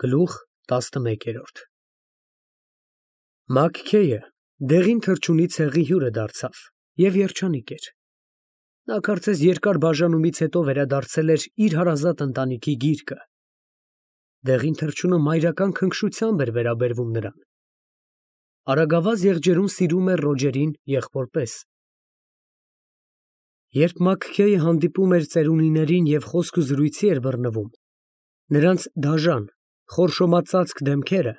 Գլուխ 11 Մաքքեյը դեղին թռչունի ցեղի հյուրը դարձավ և երջանիկ էր։ Նա կարծես երկար բաժանումից հետո վերադարձել էր իր հարազատ ընտանիքի գիրկը։ Դեղին թռչունը մայրական քնքշությամբ էր վերաբերվում նրան։ Արագավազ եղջերուն սիրում էր Ռոջերին եղբոր պես։ Երբ Մաքքեյը հանդիպում էր ծերունիներին և խոսք-զրույցի էր բռնվում, նրանց դաժան, խորշոմածածկ դեմքերը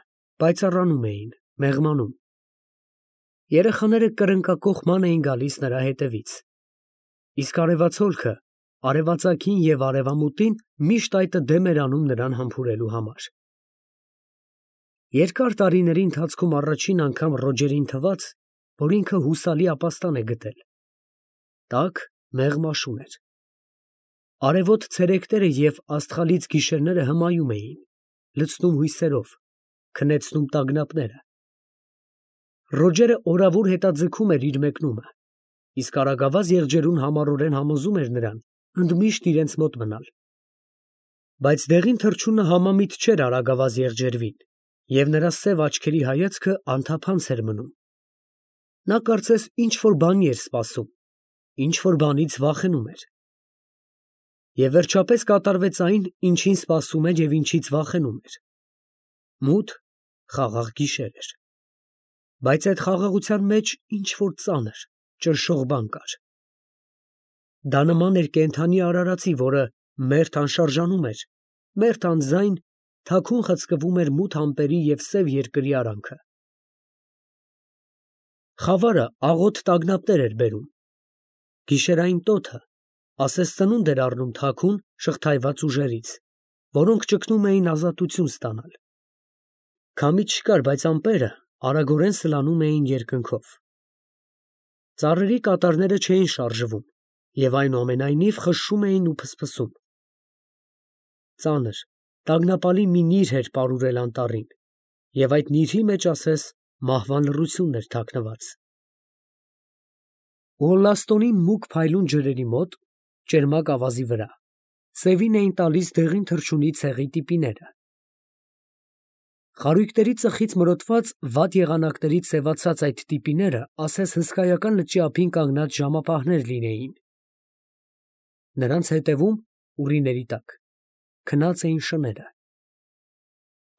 պայծառանում էին, մեղմանում։ Երեխաները կրնկակոխման էին գալիս նրա հետևից, իսկ արևածագը արևածագին և արևամուտին միշտ այտը դեմ էր անում նրան համբուրելու համար։ Երկար տարիների ընթացքում առաջին անգամ Ռոջերին թվաց, որ ինքը հուսալի ապաստան է գտել։ Տաք, մեղմ աշուն էր։ Արևոտ ցերեկները և աստղալից գիշերները հմայում էին, լցնում հույսերով, քնեցնում տագնապները։ Ռոջերը օրավուր հետաձգում էր իր մեկնումը, իսկ արագավազ եղջերուն համառորեն համոզում էր նրան ընդմիշտ իրենց մոտ մնալ։ Բայց դեղին թռչունը համամիտ չէր արագավազ եղջերվին, և նրա սև աչքերի հայացքը անթափանց էր մնում։ Նա կարծես ինչ֊որ բանի էր սպասում, ինչ֊որ բանից վախենում էր։ Եվ վերջապես կատարվեց այն, ինչին սպասում էր և ինչից վախենում էր։ Մութ, խաղաղ գիշեր էր։ Բայց այդ խաղաղության մեջ ինչ֊որ ծանր, ճնշող բան կար։ Դա նման էր կենդանի արարածի, որը մերթ անշարժանում էր, մերթ անձայն թաքուն խցկվում էր մութ ամպերի և սև երկրի արանքը։ Խավարը աղոտ տագնապներ էր բերում։ Գիշերային տոթը ասես ծնունդ էր առնում թաքուն, շղթայված ուժերից, որոնք ճգնում էին ազատություն ստանալ։ Քամի չկար, բայց ամպերը արագորեն սլանում էին երկնքով։ Ծառերի կատարները չէին շարժվում և այնուամենայնիվ խշշում էին ու փսփսում։ Ծանր, տագնապալի մի նիրհ էր պարուրել անտառին, և այդ նիրհի մեջ ասես մահվան լռությունն էր թաքնված։ Ուոլլաստոնի մուգ փայլուն ջրերի մոտ, ճերմակ ավազի վրա, սևին էին տալիս դեղին թռչունի ցեղի տիպիները։ Խարույկների ծխից մրոտված վատ եղանակներից սևացած այդ տիպիները ասես հսկայական լճի ափին կանգնած ժամապահներ լինեին։ Նրանց հետևում, ուռիների տակ, քնած էին շները։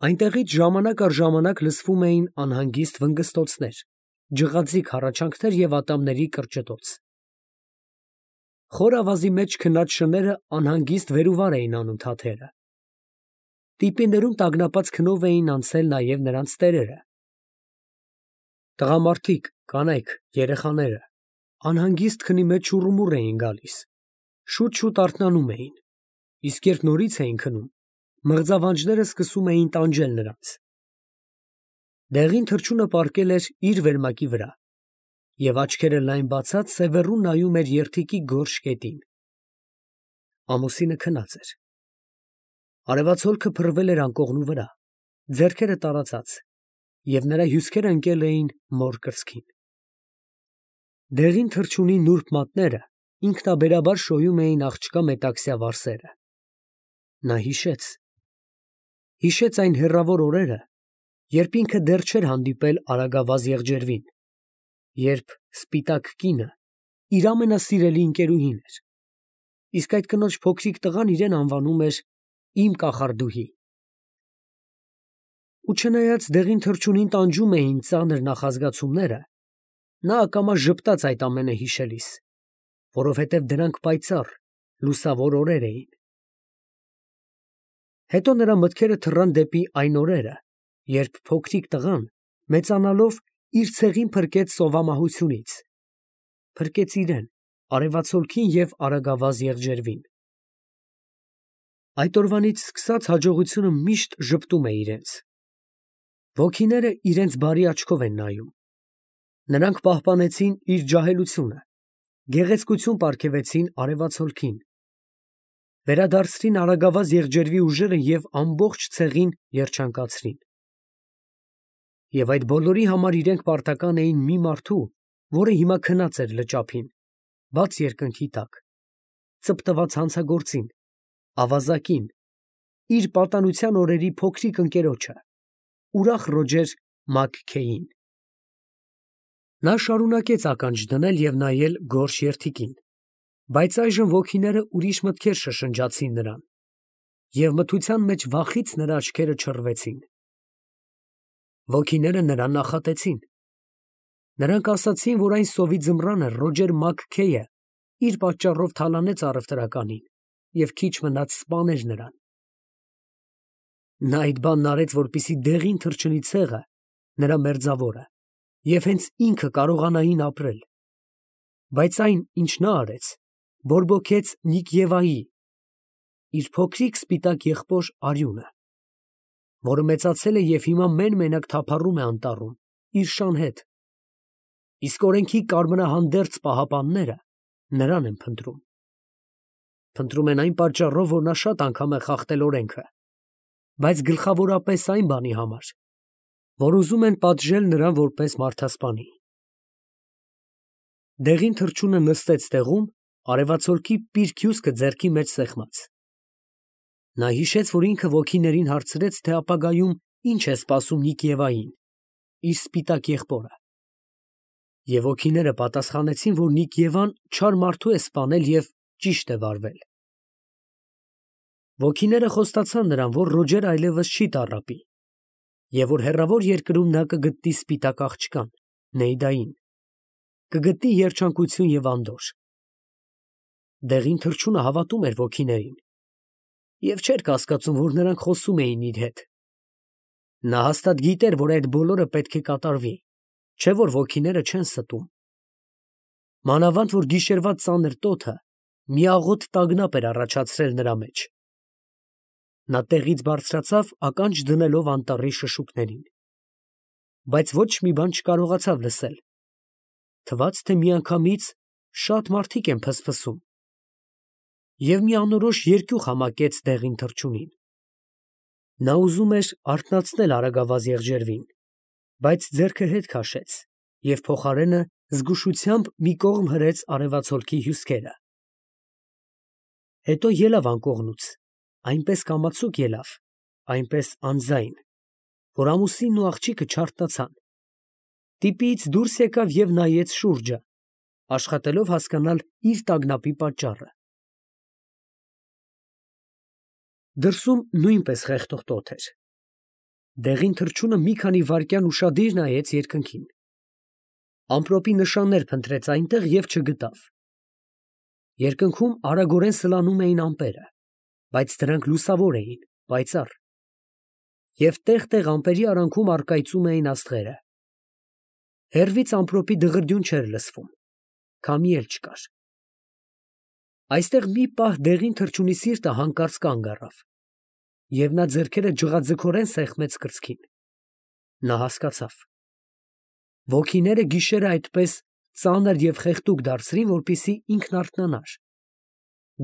Այնտեղից ժամանակ առ ժամանակ լսվում էին անհանգիստ վնգստոցներ, ջղաձիգ հառաչանքներ և ատամների կրճտոց։ Խոր ավազի մեջ քնած շները անհանգիստ վեր ու վար էին անում թաթերը։ Տիպիներում տագնապած քնով էին անցել նաև նրանց տերերը։ Տղամարդիկ, կանայք, երեխաները անհանգիստ քնի մեջ շուռումուռ էին գալիս, շուտ֊շուտ արթնանում էին, իսկ երբ նորից էին քնում, մղձավանջները սկսում էին տանջել նրանց։ Դեղին թռչունը պառկել էր իր վերմակի վրա և աչքերը լայն բացած սևեռուն նայում էր երդիքի գորշ կետին։ Ամուսինը քնած էր։ Արևածագը փռվել էր անկողնու վրա, ձեռքերը տարածած, և նրա հյուսքերը ընկել էին մոր կրծքին։ Դեղին թռչունի նուրբ մատները ինքնաբերաբար շոյում էին աղջկա մետաքսյա վարսերը։ Նա հիշեց այն հեռավոր օրերը, երբ ինքը դեռ չէր հանդիպել արագավազ եղջերվին, երբ սպիտակ կինը իր ամենասիրելի ընկերուհին էր, իսկ այդ կնոջ փոքրիկ տղան իրեն անվանում էր «իմ կախարդուհի»։ Ու չնայած դեղին թռչունին տանջում էին ծանր նախազգացումները, նա ակամա ժպտաց այդ ամենը հիշելիս, որովհետև դրանք պայծառ, լուսավոր օրեր էին։ Հետո նրա մտքերը թռան դեպի այն օրերը, երբ փոքրիկ տղան, մեծանալով, իր ցեղին փրկեց սովամահությունից, փրկեց իրան, արևածագին և արագավազ եղջերվին։ Այդ օրվանից սկսած հաջողությունը միշտ ժպտում է իրենց։ Ոգիները իրենց բարի աչքով են նայում։ Նրանք պահպանեցին իր ջահելությունը, գեղեցկություն պարգևեցին արևածագին, վերադարձրին արագավազ եղջերվի ուժերը և ամբողջ ցեղին երջանկացրին։ Եվ այդ բոլորի համար իրենք պարտական էին մի մարդու, որը հիմա քնած էր լճափին, բաց երկնքի տակ, ծպտված հանցագործին, ավազակին, իր պատանության օրերի փոքրիկ ընկերոջը, ուրախ Ռոջեր Մաքքեյին։ Նա շարունակեց ականջ դնել և նայել գորշ երդիկին, բայց այժմ ոգիները ուրիշ մտքեր շշնջացին նրան, և մթության մեջ վախից նրա աչքերը չռվեցին։ Ոգիները նրան նախատեցին։ Նրանք ասացին, որ այն սովի ձմռանը Ռոջեր Մաքքեյը իր պատճառով թալանեց առևտրականին և քիչ մնաց սպաներ նրան։ Նա այդ բանն արեց, որպեսզի դեղին թռչնի ցեղը, նրա մերձավորը, և հենց ինքը կարողանային ապրել։ Բայց այն, ինչ նա արեց, բորբոքեց Նիկեվայի, իր փոքրիկ սպիտակ եղբոր Արյունը, որը մեծացել է և հիմա մեն֊մենակ թափառում է անտառում, իր շան հետ, իսկ օրենքի կարմրահանդերձ պահապանները նրան են փնտրում։ Փնտրում են այն պատճառով, որ նա շատ անգամ է խախտել օրենքը, բայց գլխավորապես այն բանի համար, որ ուզում են պատժել նրան որպես մարդասպանի։ Դեղին թռչունը նստեց տեղում, արևածագի պինդ հյուսկը ձեռքի մեջ սեղմած։ Նա հիշեց, որ ինքը ոգիներին հարցրեց, թե ապագայում ինչ է սպասում Նիկեվային, իր սպիտակ եղբորը։ Եվ ոգիները պատասխանեցին, որ Նիկեվան չար մարդու է սպանել և ճիշտ է վարվել։ Ոգիները խոստացան նրան, որ Ռոջերը այլևս չի տառապի, և որ հեռավոր երկրում նա կգտնի սպիտակ աղջկան, Նեյդային, կգտնի երջանկություն և անդորր։ Դեղին թռչունը հավատում էր ոգիներին և չէր կասկածում, որ նրանք խոսում էին իր հետ։ Նա հաստատ գիտեր, որ այդ բոլորը պետք է կատարվի, չէ՞ որ ոգիները չեն ստում։ Մանավանդ որ գիշերվա ծանր տոթը մի աղոտ տագնապ էր առաջացրել նրա մեջ։ Նա տեղից բարձրացավ, ականջ դնելով անտառի շշուկներին, բայց ոչ մի բան չկարողացավ լսել։ Թվաց, թե միանգամից շատ մարդիկ են փսփսում, և մի անորոշ երկյուղ համակեց դեղին թռչունին։ Նա ուզում էր արթնացնել արագավազ եղջերվին, բայց ձեռքը հետ քաշեց և փոխարենը զգուշությամբ մի կողմ հրեց արևածագի հյուսքերը։ Հետո ելավ անկողնուց, այնպես կամացուկ ելավ, այնպես անձայն, որ ամուսինն ու աղջիկը չարթնացան։ Տիպից դուրս եկավ և նայեց շուրջը, աշխատելով հասկանալ իր տագնապի պատճառը։ Դրսում նույնպես խեղդող տոթ էր։ Դեղին թռչունը մի քանի վայրկյան ուշադիր նայեց երկնքին։ Ամպրոպի նշաններ փնտրեց այնտեղ և չգտավ։ Երկնքում արագորեն սլանում էին ամպերը, բայց դրանք լուսավոր էին, պայծառ, և տեղ֊տեղ ամպերի արանքում առկայծում էին աստղերը։ Հեռվից ամպրոպի դղրդյուն չէր լսվում, քամի էլ չկար։ Այստեղ մի պահ դեղին թռչունի սիրտը հանկարծ կանգ առավ, և նա ձեռքերը ջղաձգորեն սեղմեց կրծքին։ Նա հասկացավ. ոգիները գիշերը այդպես ծանր և խեղդուկ դարձրին, որպեսզի ինքն արթնանար։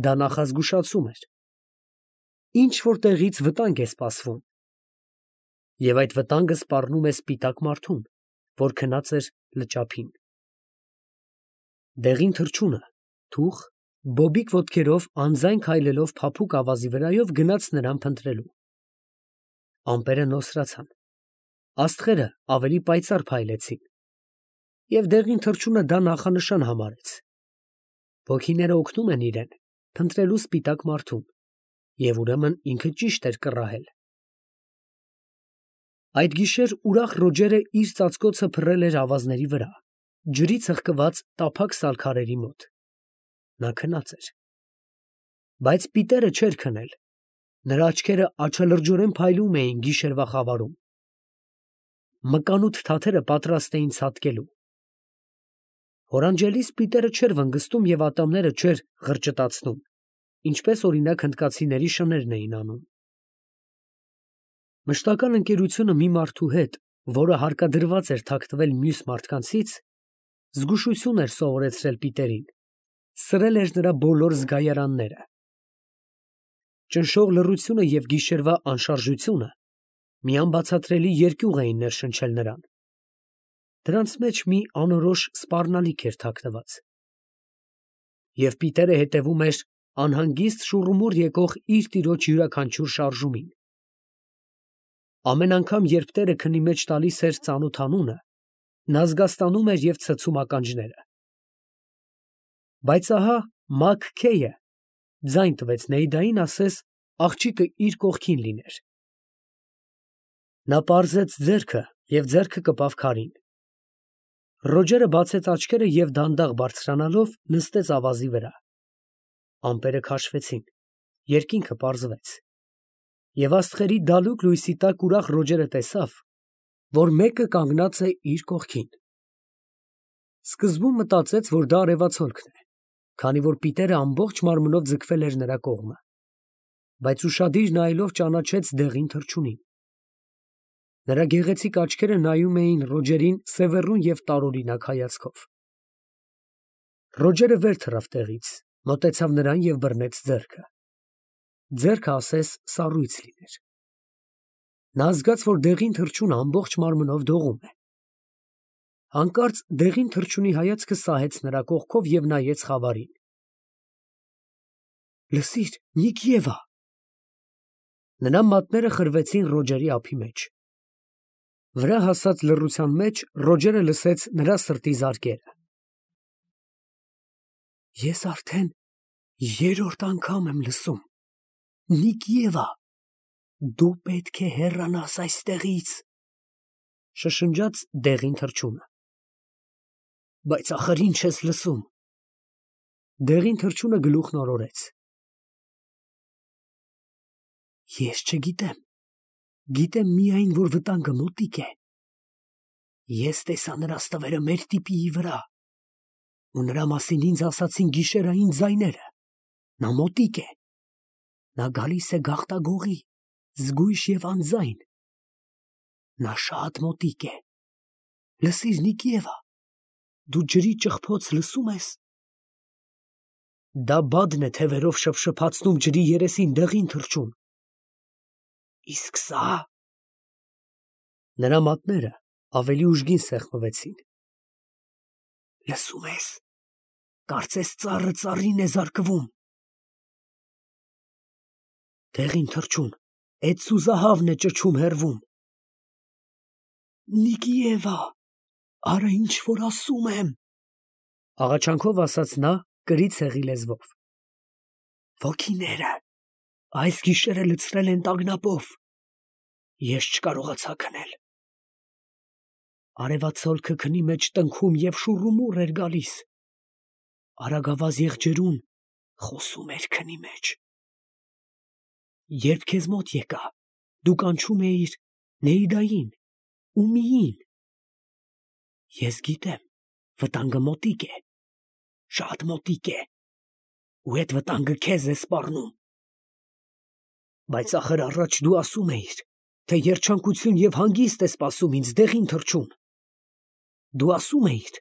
Դա նախազգուշացում էր։ Ինչ֊որ տեղից վտանգ է սպասվում, և այդ վտանգը սպառնում է սպիտակ մարդուն, որ քնած էր լճափին։ Դեղին թռչունը թուխ, բոբիկ ոտքերով անձայն քայլելով փափուկ ավազի վրայով գնաց նրան փնտրելու։ Ամպերը նոսրացան, աստղերը ավելի պայծառ փայլեցին, և դեղին թռչունը դա նախանշան համարեց։ Ոգիները օգնում են իրեն փնտրելու սպիտակ մարդուն, և ուրեմն ինքը ճիշտ էր կռահել։ Այդ գիշեր ուրախ Ռոջերը իր ծածկոցը փռել էր ավազների վրա, ջրի ծաղկված տափակ սալքարերի մոտ։ Նա քնած էր։ Բայց պիտերը չէր քնել, նրա աչքերը աչալրջորեն փայլում էին գիշերվա խավարում։ Մկանութ թաթերը պատրաստ էին ցատկելու։ Օրանջելիս պիտերը չէր վնգստում և ատամները չէր ղրճտացնում, ինչպես օրինակ հնդկացիների շներն էին անում։ Մշտական ընկերությունը մի մարդու հետ, որը հարկադրված էր թաքնվել մյուս մարդկանցից, զգուշություն էր սովորեցրել պիտերին, սրել էր նրա բոլոր զգայարանները։ Ճնշող լռությունը և գիշերվա անշարժությունը մի անբացատրելի երկյուղ էին ներշնչել նրան։ Դրանց մեջ մի անորոշ սպառնալիք էր թաքնված։ Եվ պիտերը հետևում էր անհանգիստ շուռումուռ եկող իր տիրոջ յուրաքանչյուր շարժումին։ Ամեն անգամ, երբ տերը քնի մեջ տալիս էր ծանոթ անունը, նա զգաստանում էր և ցցում ականջները։ Բայց ահա Մակ Քեյը ձայն տվեց Նեիդային ասես աղջիկը իր կողքին լիներ։ Նա պարզեց ձեռքը և ձեռքը կպավ քարին։ Ռոջերը բացեց աչքերը և դանդաղ բարձրանալով նստեց ավազի վրա։ Ամպերը քաշվեցին, երկինքը պարզվեց, և աստղերի դալուկ լույսի տակ ուրախ Ռոջերը տեսավ, որ մեկը կանգնած է իր կողքին։ Սկզբում մտածեց, որ դա արևածագն է, քանի որ Պիտերը ամբողջ մարմնով ձգվել էր նրա կողմը, բայց ուշադիր նայելով ճանաչեց դեղին թռչունին։ Նրա գեղեցիկ աչքերը նայում էին Ռոջերին սևեռուն և տարօրինակ հայացքով։ Ռոջերը վեր թռավ տեղից, մոտեցավ նրան և բռնեց ձեռքը։ Ձեռքը ասես սառույց լիներ։ Նա զգաց, որ դեղին թռչունը ամբողջ մարմնով դողում է։ Հանկարծ դեղին թռչունի հայացքը սահեց նրա կողքով և նայեց խավարին։ Լսիր, Նիկիևա։ Նրա մատները խրվեցին Ռոջերի ափի մեջ։ Վրա հասած լռության մեջ Ռոջերը լսեց նրա սրտի զարկերը։ Ես արդեն երրորդ անգամ եմ լսում։ Նիկիևա, դու պետք է հեռանաս այստեղից, շշնջաց դեղին թռչունը։ Բայց ախր ինչ ես լսում։ Դեղին թռչունը գլուխն օրորեց։ Ես չգիտեմ, գիտեմ միայն, որ վտանգը մոտիկ է։ Ես տեսա նրա ստվերը մեր տիպիի վրա, ու նրա մասին ինձ ասացին գիշերային ձայները։ Նա մոտիկ է։ Նա գալիս է գաղտագողի, զգույշ և անձայն։ Նա շատ մոտիկ է։ Լսիր, Նիկիևա, դու ջրի ճղփոց լսում ես։ Դա բադն է թևերով շփշփացնում ջրի երեսին դեղին թռչուն։ Իսկ սա… Նրա մատները ավելի ուժգին սեղմվեցին։ Լսում ես, կարծես ծառը ծառին է զարկվում։ Դեղին թռչուն, էդ սուզահավն է ճչում հեռվում։ Նիկիևա, արա ինչ որ ասում եմ, աղաչանքով ասաց նա կրի ցեղի լեզվով։ Ոգիները այս գիշերը լցրել են տագնապով։ Ես չկարողացա քնել։ Արևածագը քնի մեջ տնքում և շուռումուռ էր գալիս։ Արագավազ եղջերուն խոսում էր քնի մեջ։ Երբ քեզ մոտ եկա, դու կանչում էիր Նեիդային, Ումիին։ Ես գիտեմ, վտանգը մոտիկ է, շատ մոտիկ է, ու այդ վտանգը քեզ է սպառնում։ Բայց ախր առաջ դու ասում էիր, թե երջանկություն և հանգիստ է սպասում ինձ դեղին թռչուն։ Դու ասում էիր,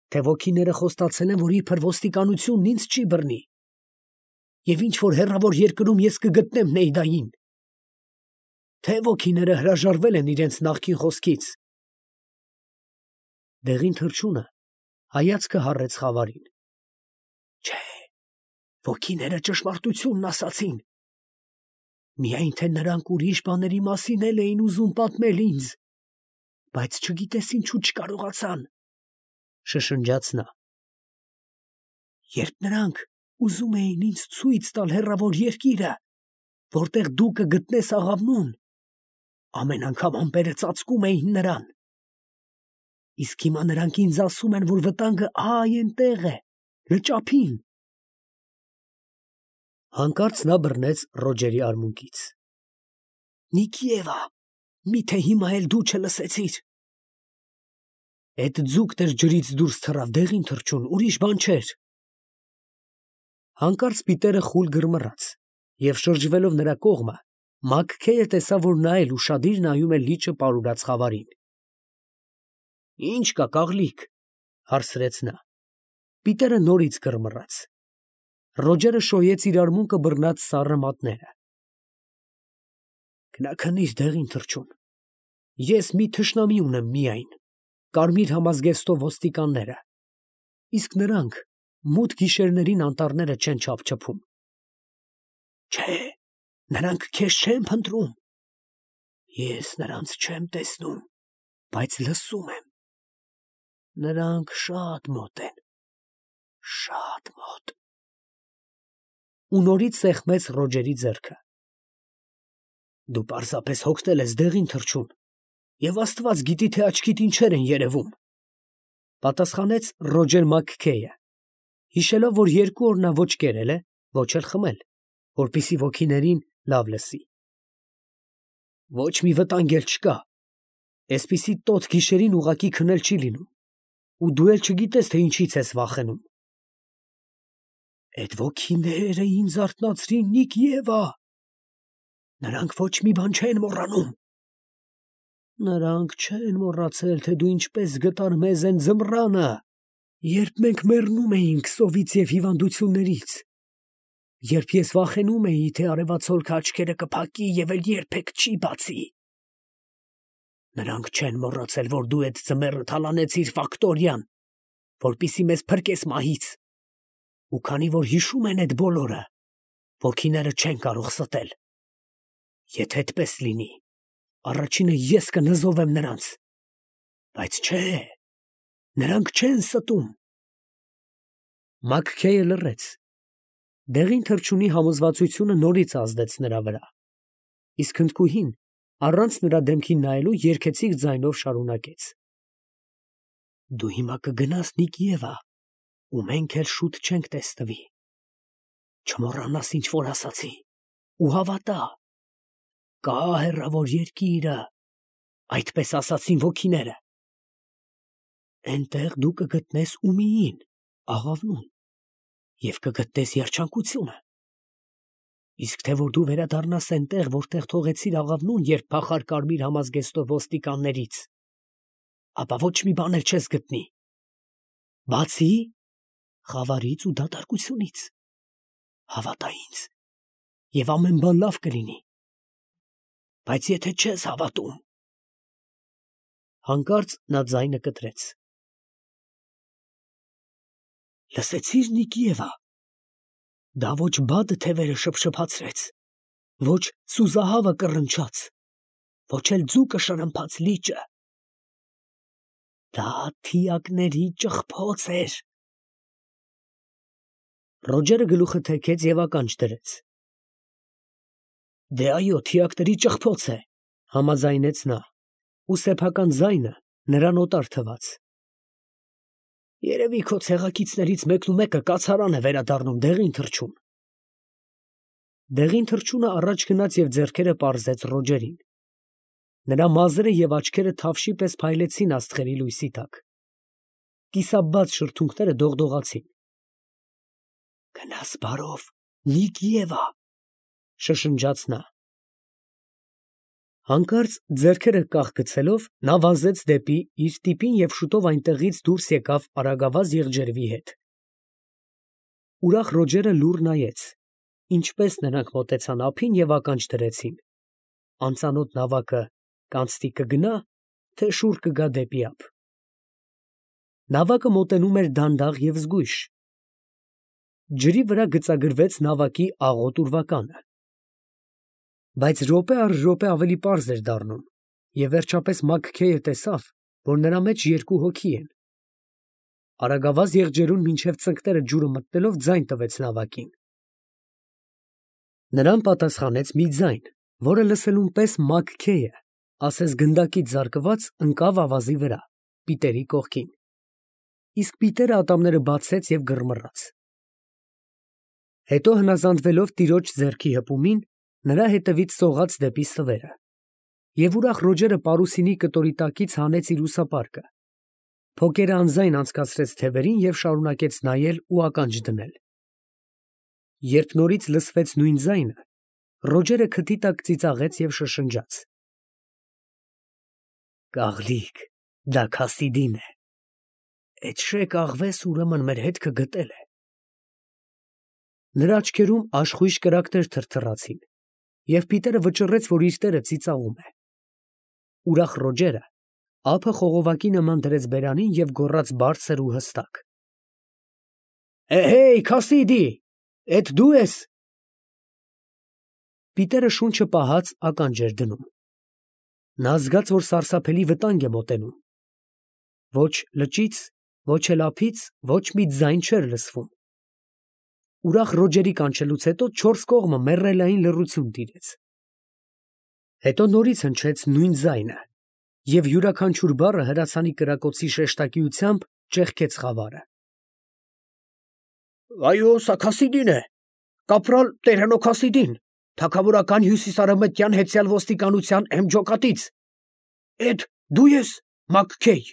թե ոգիները խոստացել են, որ իբր ոստիկանությունն ինձ չի բռնի, և ինչ-որ հեռավոր երկրում ես կգտնեմ Նեիդային։ Թե ոգիները հրաժարվել են իրենց նախկին խոսքից։ Դեղին թռչունը հայացքը հառեց խավարին։ Չէ, ոգիները ճշմարտությունն ասացին։ Միայն թե նրանք ուրիշ բաների մասին էլ էին ուզում պատմել ինձ, բայց չգիտես ինչու չկարողացան, շշնջաց նա։ Երբ նրանք ուզում էին ինձ ցույց տալ հեռավոր երկիրը, որտեղ դու կգտնես աղավնուն, ամեն անգամ ամպերը ծածկում էին նրան։ Իսկ հիմա նրանք ինձ ասում են, որ վտանգը այնտեղ է, լճափին։ Հանկարծ նա բռնեց Ռոջերի արմունկից։ Նիկիևա, միթե հիմա էլ դու չլսեցիր։ Էդ ձուկն էր ջրից դուրս թռավ դեղին թռչուն, ուրիշ բան չէր։ Հանկարծ Պիտերը խուլ գրմռաց, և շրջվելով նրա կողմը, Մակ Քեյը տեսավ, որ նա էլ ուշադիր նայում է լիճը պարուրած խավարին։ Ինչ կա, կաղլիկ, հարցրեց նա։ Պիտերը նորից գրմռաց։ Ռոջերը շոյեց իր արմունկը բռնած սառը մատները։ Քնիր դեղին թռչուն։ Ես մի թշնամի ունեմ միայն, կարմիր համազգեստով ոստիկանները, իսկ նրանք մութ գիշերներին անտառները չեն չափչփում։ Չէ, նրանք քեզ չեն փնտրում։ Ես նրանց չեմ տեսնում, բայց լսում եմ։ Նրանք շատ մոտ են, շատ մոտ։ Ու նորից սեղմեց Ռոջերի ձեռքը։ Դու պարզապես հոգնել ես դեղին թռչուն, և Աստված գիտի, թե աչքիդ ինչեր են երևում, պատասխանեց Ռոջեր Մաքքեյը, հիշելով, որ 2 օր նա ոչ կերել է, ոչ էլ խմել, որպեսզի ոգիներին լավ լսի։ Ոչ մի վտանգ էլ չկա, այսպիսի տոտ գիշերին ուղղակի քնել չի լինում, ու դու էլ չգիտես, թե ինչից ես վախենում։ Այդ ոգիները ինձ արթնացրին, Նիկ Եվա, նրանք ոչ մի բան չեն մոռանում։ Նրանք չեն մոռացել, թե դու ինչպես գտար մեզ այն ձմռանը, երբ մենք մեռնում էինք սովից և հիվանդություններից, երբ ես վախենում էի, թե արևածոլքը աչքերը կփակի և էլ երբեք չի բացի։ Նրանք չեն մոռացել, որ դու այդ ձմեռը թալանեցիր Ֆակտորիան, որպեսզի մեզ փրկես մահից, ու քանի որ հիշում են այդ բոլորը, ոգիները չեն կարող ստել։ Եթե այդպես լինի, առաջինը ես կնզովեմ նրանց, բայց չէ, նրանք չեն ստում։ Մաքքեյը լռեց։ Դեղին թռչունի համոզվածությունը նորից ազդեց նրա վրա, իսկ հնդկուհին, առանց նրա դեմքին նայելու, երգեցիկ ձայնով շարունակեց. Դու հիմա կգնաս, Նիկ Եվա, ու մենք էլ շուտ չենք տեսնվի։ Չմոռանաս, ինչ որ ասացի, ու հավատա, կա հեռավոր երկիրը, այդպես ասացին ոգիները։ Այնտեղ դու կգտնես Ումիին, աղավնուն, և կգտնես երջանկությունը։ Իսկ թե որ դու վերադառնաս այնտեղ, որտեղ թողեցիր աղավնուն, երբ փախար կարմիր համազգեստով ոստիկաններից, ապա ոչ մի բան էլ չես գտնի, բացի խավարից ու դատարկությունից։ Հավատա ինձ, և ամեն բան լավ կլինի։ Բայց եթե չես հավատում… Հանկարծ նա ձայնը կտրեց. Լսեցի՞ր, Նիկ Եվա, դա ոչ բադը թևերը շփշփացրեց, ոչ սուզահավը կռնչաց, ոչ էլ ձուկը շրմփաց լիճը. դա թիակների ճղփոց էր։ Ռոջերը գլուխը թեքեց և ականջ դրեց։ Դե այո, թիակների ճղփոց է, համաձայնեց նա, ու սեփական ձայնը նրան օտար թվաց։ Երևի քո ցեղակիցներից մեկնումեկը կացարան է վերադառնում դեղին թռչուն։ Դեղին թռչունը առաջ գնաց և ձեռքերը պարզեց Ռոջերին։ Նրա մազերը և աչքերը թավշի պես փայլեցին աստղերի լույսի տակ։ Կիսաբաց շրթունքները դողդողացին։ Գնաս բարով, Նիկ Եվա, շշնջաց նա։ Հանկարծ ձեռքերը կախ գցելով, նա վազեց դեպի իր տիպին և շուտով այնտեղից դուրս եկավ արագավազ եղջերվի հետ։ Ուրախ Ռոջերը լուռ նայեց, ինչպես նրանք մոտեցան ափին և ականջ դրեցին. անծանոթ նավակը կանցնի կգնա, թե շուռ կգա դեպի ափ։ Նավակը մոտենում էր դանդաղ և զգույշ։ Ջրի վրա գծագրվեց նավակի աղոտ ուրվականը։ Բայց րոպե առ րոպե ավելի պարզ էր դառնում, և վերջապես Մաքքեյը տեսավ, որ նրա մեջ 2 հոգի են։ Արագավազ եղջերուն մինչև ծնկները ջուրը մտնելով ձայն տվեց նավակին։ Նրան պատասխանեց մի ձայն, որը լսելուն պես Մաքքեյը, ասես գնդակից զարկված, ընկավ ավազի վրա, Պիտերի կողքին։ Իսկ Պիտերը ատամները բացեց և գրմռաց։ Հետո հնազանդվելով տիրոջ ձեռքի հպումին, նրա հետևից սողաց դեպի ստվերը։ Եվ ուրախ Ռոջերը պարուսինի կտորի տակից հանեց իր ուսապարկը, փոկերը անձայն անցկացրեց թևերին և շարունակեց նայել ու ականջ դնել։ Երբ նորից լսվեց նույն ձայնը, Ռոջերը քթի տակ ծիծաղեց և շշնջաց. Կաղլիկ, դա Քասիդին է։ Էդ շեք աղվես ուրեմն մեր հետքը գտել է։ Նրա աչքերում աշխույժ կրակներ թրթռացին, և Պիտերը վճռեց, որ իր տերը ծիծաղում է։ Ուրախ Ռոջերը ափը խողովակի նման դրեց բերանին և գոռաց բարձր ու հստակ. Հեյ, Քասիդի, էդ դու ես։ Պիտերը շունչը պահած ականջ էր դնում։ Նա զգաց, որ սարսափելի վտանգ է մոտենում։ Ոչ լճից, ոչ էլ ափից ոչ մի ձայն չէր լսվում։ Ուրախ Ռոջերի կանչելուց հետո չորս կողմը մեռելային լռություն տիրեց։ Հետո նորից հնչեց նույն ձայնը, և յուրաքանչյուր բառը հրացանի կրակոցի շեշտակիությամբ ճեղքեց խավարը։ «Այո, սա Քասիդին է, կապրալ Տերհենո Քասիդին, թագավորական հյուսիսարևմտյան հեծյալ ոստիկանության էմջոկատից։ Էդ դու ես, Մաքքեյ»։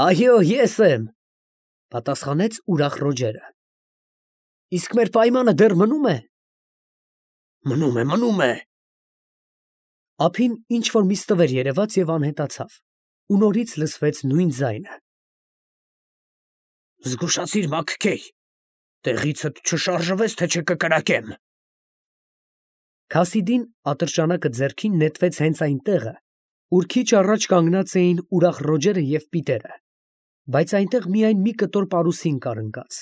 «Այո, ես եմ», պատասխանեց ուրախ Ռոջերը։ «Իսկ մեր պայմանը դեռ մնում է»։ Մնում է։ Ափին ինչ-որ մի ստվեր երևաց և անհետացավ, ու նորից լսվեց նույն ձայնը։ «Զգուշացիր, Մաքքեյ, տեղիցդ չշարժվես, թե չկկրակեմ»։ Քասիդին ատրճանակը ձեռքին նետվեց հենց այն տեղը, ուր քիչ առաջ կանգնած էին ուրախ Ռոջերը և Պիտերը, բայց այնտեղ միայն մի կտոր պարուսին կար ընկած։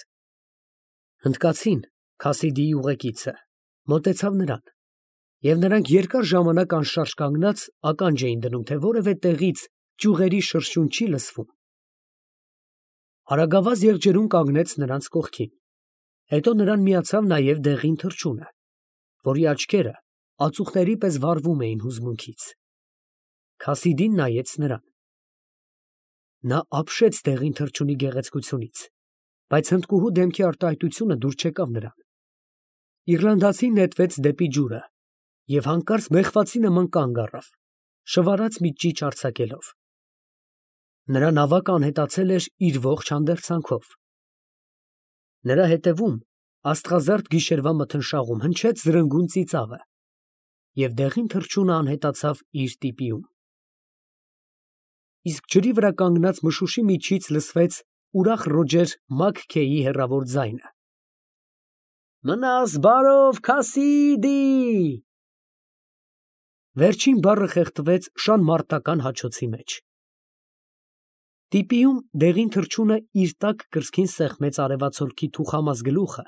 Հնդկացին, Քասիդիի ուղեկիցը, մոտեցավ նրան, և նրանք երկար ժամանակ անշարժ կանգնած ականջ էին դնում, թե որևէ տեղից ճյուղերի շրշյուն չի լսվում։ Արագավազ եղջերուն կանգնեց նրանց կողքին, հետո նրան միացավ նաև դեղին թռչունը, որի աչքերը ածուխների պես վառվում էին հուզմունքից։ Քասիդին նայեց նրան։ Նա ապշեց դեղին թռչունի գեղեցկությունից, բայց հնդկուհու դեմքի արտահայտությունը դուր չեկավ նրան։ Իռլանդացին նետվեց դեպի ջուրը և հանկարծ մեղվացի նման կանգ առավ, շվարած մի ճիչ արձակելով։ Նրա նավակը անհետացել էր իր ողջ հանդերձանքով։ Նրա հետևում, աստղազարդ գիշերվա մթնշաղում, հնչեց զրնգուն ծիծաղը, և դեղին թռչունը անհետացավ իր տիպիում։ Իսկ ջրի վրա կանգնած մշուշի միջից լսվեց ուրախ Ռոջեր Մաքքեյի հեռավոր ձայնը. «Մնաս բարով, Քասիդի»։ Վերջին բառը խեղդվեց շան մարտական հաչոցի մեջ։ Տիպիում դեղին թռչունը իր տաք կրծքին սեղմեց արևածագի թուխամաս գլուխը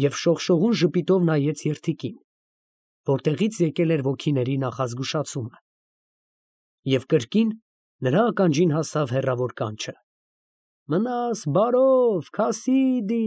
և շողշողուն ժպիտով նայեց երդիկին, որտեղից եկել էր ոգիների նախազգուշացումը, և կրկին նրա ականջին հասավ հեռավոր կանչը. «Մնաս բարով, Քասիդի»։